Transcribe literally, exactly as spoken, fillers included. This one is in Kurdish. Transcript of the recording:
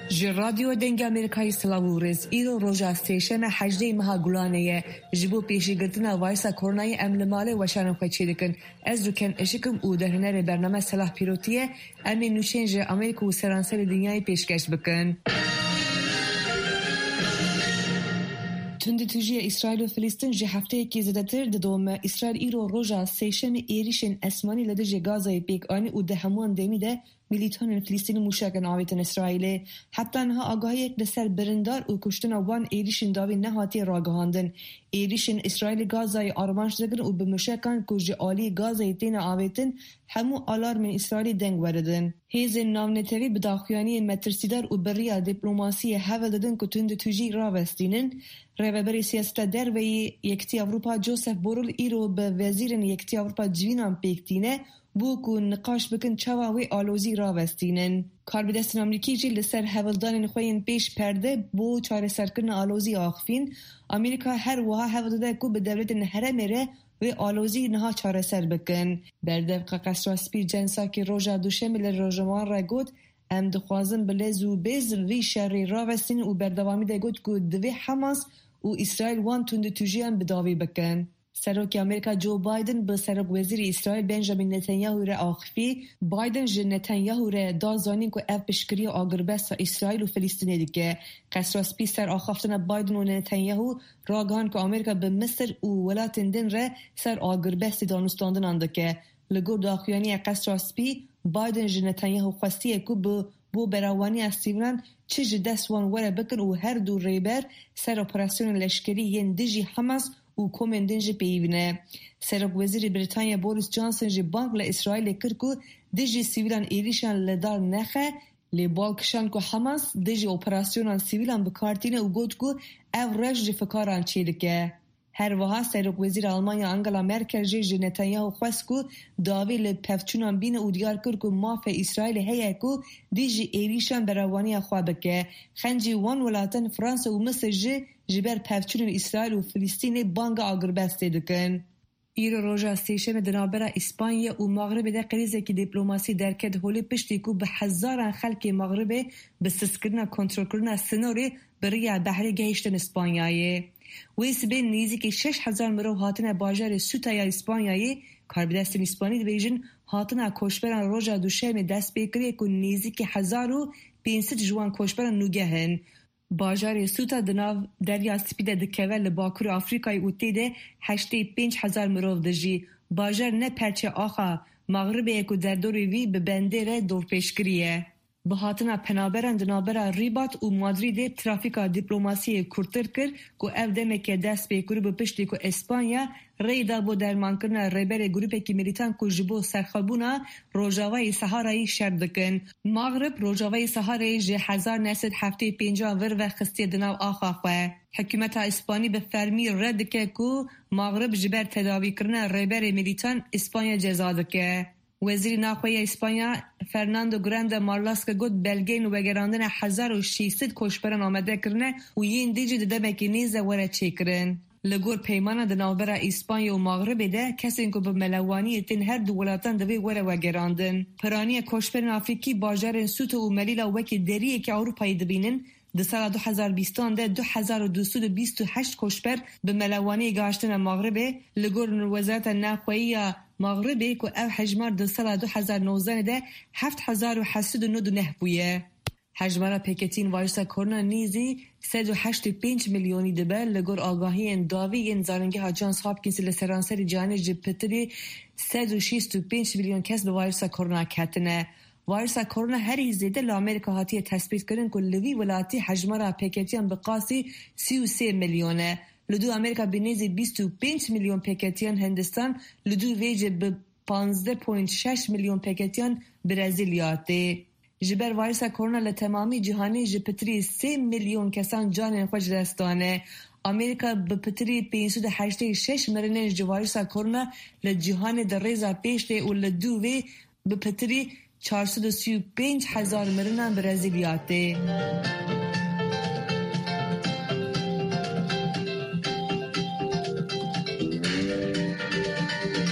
Ji Radyo Dengê Amerîkayê silav û rêz. Îro roja sêşeme hejdê meha Gulanê ye. Ji bo pêşîgirtina vayrusa koronayê em li malê weşanên xwe çêdikin. Ez Rûken Işik im û derhênerê bername Selah Pîrotî ye. Em ê nûçeyên ji Amerîka û seranserê dinyayê pêşkeş bikin. Tundûtûjiya Îsraîl û Filistîn ji hefteyekî zêdetir didome. Îsraîl îro roja sêşemê êrîşên esmanî li dijî Gazayê pêk anî û di hemûyan demî de milîtanên Filistînî mûşekan avêtin Îsraîlê. Heta niha agahiyek li ser birindar û kuştina wan êrîşên dawî nehatiye ragihandin. Êrîşên Îsraîlê Gazayê armanc digirin û bi mûşekan ku ji aliyê Gazayê têne avêtin, hemû alarmên Îsraîlî deng weridin. Hêzên navnetewî bi daxuyaniyên metirsîdar û bi riya dîplomasiyê hewl didin ku tundûtûjî ravestînin. Rêveberê siyaseta derve yê Yekîtiya Ewropa Josep Borrell îro bi wezîrên Yekîtiya Ewropa civînan pêk tîne, bû ku niqaş bikin çawa wê alozî ravestînin. Karbidestên Amerîkî jî li ser hewldanên xwe yên pêş perde bo çareserkirina alozî axifîn. Amerîka her wiha hewl dide ku bi dewletên herêmê re wê alozî niha çareser bikin. Berdevka Qesra Spî Jen Psaki roja Duşemê li rojnamevan re got, Em dixwazin bi lez û bêz vî şerî ravestînin û berdewamî de got ku divê Hamas û Îsraîl wan tundûtûjiyan bi dawî bikin. Serokê Amerîka Joe Biden bi serokwezîrê Îsraîl Benjamin Netanyahu re axifî. Biden ji Netanyahu re da zanîn ku ev piştgiriya agirbesta Îsraîl û Filistînê dike. Qesra Spî ser axaftina Biden û Netanyahu ragihand ku Amerîka bi Misir û welatên din re ser agirbestê danûstandinan dike. Li gor daxuyaniya Qesra Spî, Biden ji Netanyahu xwestiye ku bi bo berawaniya sivîlan çi ji dest wan were bikin û her du rêber ser operasyonên leşkerî yên dijî Hamas û komên din jî peyivî ne. Serokwezîrê Brîtanya Boris Johnson jî bang li Îsraîlê kir ku dijî sivîlan êrîşan li dar nexe, lê bal kişand ku Hamas dijî operasyonan sivîlan bi kar tîne û got ku ev reş ji fikaran çêdike. Her wiha Serokwezîra Almanya Angela Merkel jî ji Netanyahu xwest ku dawî li pevçûnan bîne û diyar kir ku mafê Îsraîlê heye ku dijî êrîşan berevaniya xwe bike. Xencî wan welatan Fransa û Misir jî ji ber pevçûnên Îsraîl û Filistînê banga agirbestê dikin. Îro roja sêşemê di navbera Îspanya û Maxribê de krîzekî dîplomasî derket holê piştî ku bi hezaran xelkê Maxribê bi sizkirina kontrolkirina sinorê bi riya behrê gehiştin Îspanyayê. Wê sibê nêzîkî şeş hezar mirov hatine bajarê Sûta ya Îspanyayê, karbidestên Îspanî dibêjin hatina koçberan roja Duşemê dest pê kiriye ku nêzîkî hezar û pênc sed ji wan koçberan nûgeh in. Bajarê Sûta di nav Derya Spî de dikeve li bakurê Afrîkayê û tê de heştê pênc hezar mirov dijî. Bajar ne perçe axa Maxribê ye ku derdorê wî bi bendê re dorpêçkirî ye. Bi hatina penaberan di navbera Rîbat û Madrîdê trafîka dîplomasiyê kûrtir kir ku ev demeke dest pê kiribû piştî ku Espanya rê da bo dermankirina rêberê grûpekî milîtan ku ji bo serxwebûna Rojavayê Seharayê şer dikin. Maxrib Rojavayê Seharayê ji hezar neh sed heftê pêncan vir ve xistiye di nav axa xwe. Hikûmeta Îspanî bi fermî red dike ku Maxrib ji ber tedawîkirina rêberê milîtan Îspanya ceza dike. Wezîrê Navxwe ya Îspanya Fernando Grande Marlaska got, belgeyên vegerandina hezar û şêst sed koçberan amade kirine û yên dî jî di demekî nêz de were çêkirin. Li gor peymana di navbera Îspanya û Maxribê de kesên ku bi melewaniyê tên her du welatan divê were vegerandin. Piraniya koçberên Afrîkî bajarên Sûte û Melîla wekî deriyekî Ewropayê dibînin. Di sala du hezar bîstan de du hezar û du sed û bîst û heşt koçber bi melewaniyê gihiştine Maxribê. Li gor Wezareta Navxweyî ya Maxribê ku ev hejmar di sala du hezar nozdanê de heft hezar û heft sed û nod û neh bûye. Hejmara pêketiyên vayrusa korona nêzî sed û heşt û pênc milyonî dibe, li gor agahiyên dawî yên Zanîngeha Johns Hopkins li seranserî cîhanê ji pitirî sed û şêst û pênc milyon kes bi vayrusa korona ketine. Vayrusa korona herî zêde li Amerîka hatiye tespîtkirin ku li vî welatî hejmara pêketiyan bi qasî sî û sê milyon e. Li dû Amerîka bi nêzî bîst û pênc milyon pêketiyan, Hindistan li dû vê jî bi panzdeh point şeş milyon pêketiyan Brezîlya tê. Ji ber vayrusa korona li temamî cîhanê ji pitirî sê milyon kesan canên xwe ji dest dane. Amerîka bi pitirî pênc sed û heştê şeş mirinên ji vayrusa korona li cîhanê di rêza pêş de û li dû vê bi pitirî çar sed û sî û pênc hezar mirinan Brezîlya tê.